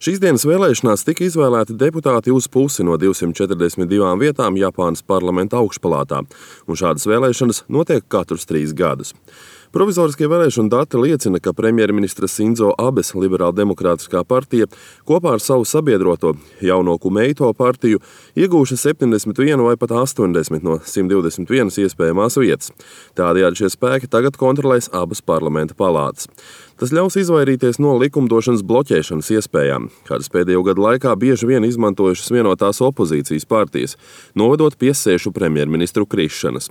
Šīs dienas vēlēšanās tika izvēlēti deputāti uz pusi no 242 vietām Japānas parlamenta augšpalātā, un šādas vēlēšanas notiek katrus 3 gadus. Provizoriskie vēlēšanu dati liecina, ka premjerministra Sinzo Abes Liberāldemokrātiskā partija kopā ar savu sabiedroto jauno Kumeito partiju iegūša 71 vai pat 80 no 121 iespējamās vietas. Tādējādi šie spēki tagad kontrolēs abas parlamenta palātas. Tas ļaus izvairīties no likumdošanas bloķēšanas iespējām, kādas pēdējo gadu laikā bieži vien izmantojušas vienotās opozīcijas partijas, novedot pie sēšu premjerministru krišanas.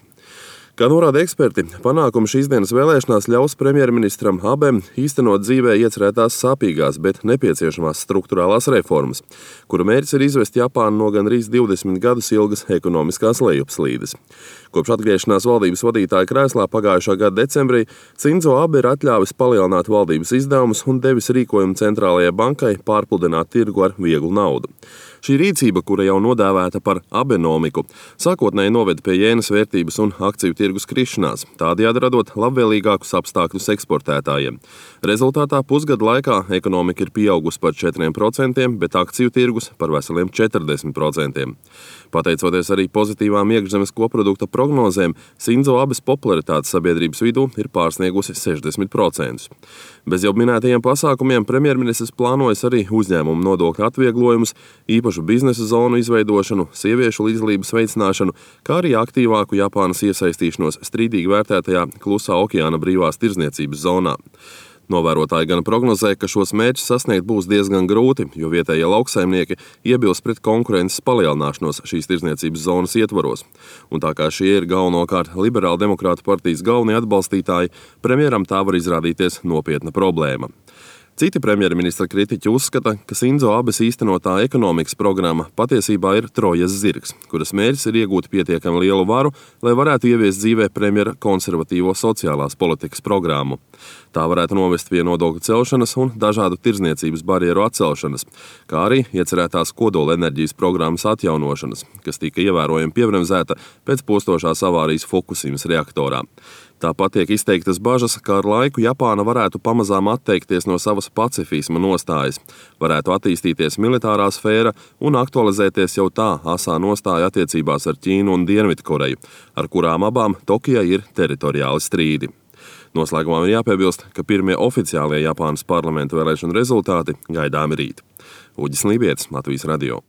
Kā norāda eksperti, panākumi šīs dienas vēlēšanās ļaus premjerministram Abem īstenot dzīvē iecerētās sāpīgās, bet nepieciešamās struktūrālās reformas, kura mērķis ir izvest Japānu no gandrīz 20 gadus ilgas ekonomiskās lejupslīdes. Kopš atgriešanās valdības vadītāja krēslā pagājušā gada decembrī Sinzo Abe ir atļāvis palielināt valdības izdevumus un devis rīkojumu centrālajai bankai pārpludināt tirgu ar vieglu naudu. Šī rīcība, kura jau nodēvēta par abenomiku, sākotnēji noveda pie jēnas vērtības un akciju tirgus krišanās, tādējādi radot labvēlīgākus apstākļus eksportētājiem. Rezultātā pusgada laikā ekonomika ir pieaugusi par 4%, bet akciju tirgus par veseliem 40%. Pateicoties arī pozitīvām iekšzemes koprodukta prognozēm, Sinzo Abes popularitāte sabiedrības vidū ir pārsniegusi 60%. Bez jau minētajiem pasākumiem premjerministrs plānojas arī uzņēmumu nodokļu atvieglojumus, īpašu biznesa zonu izveidošanu, sieviešu līdzdalības veicināšanu, kā arī aktīvāku Japānas iesaistīšanos strīdīgi vērtētajā Klusā okeāna brīvās tirdzniecības zonā. Novērotāji gan prognozē, ka šos mērķus sasniegt būs diezgan grūti, jo vietējie lauksaimnieki iebilst pret konkurences palielināšanos šīs tirdzniecības zonas ietvaros. Un tā kā šie ir galvenokārt Liberāldemokrātu partijas galvenie atbalstītāji, premjeram tā var izrādīties nopietna problēma. Citi premjerministra kritiķi uzskata, ka Sinzo Abes īstenotā ekonomikas programma patiesībā ir Trojas zirgs, kuras mērķis ir iegūt pietiekami lielu varu, lai varētu ieviest dzīvē premjera konservatīvo sociālās politikas programmu. Tā varētu novest pie nodokļu celšanas un dažādu tirdzniecības barjeru atcelšanas, kā arī iecerētās kodolenerģijas programmas atjaunošanas, kas tika ievērojami piebremzēta pēc postošās avārijas Fukusimas reaktorā. Tāpat tiek izteiktas bažas, ka ar laiku Japāna varētu pamazām atteikties no savas pacifisma nostājas, varētu attīstīties militārā sfēra un aktualizēties jau tā asā nostāja attiecībās ar Ķīnu un Dienvidkoreju, ar kurām abām Tokijai ir teritoriāli strīdi. Noslēgumā ir jāpiebilst, ka pirmie oficiālie Japānas parlamenta vēlēšanu rezultāti gaidāmi rīt. Uģis Lībietis, Latvijas radio.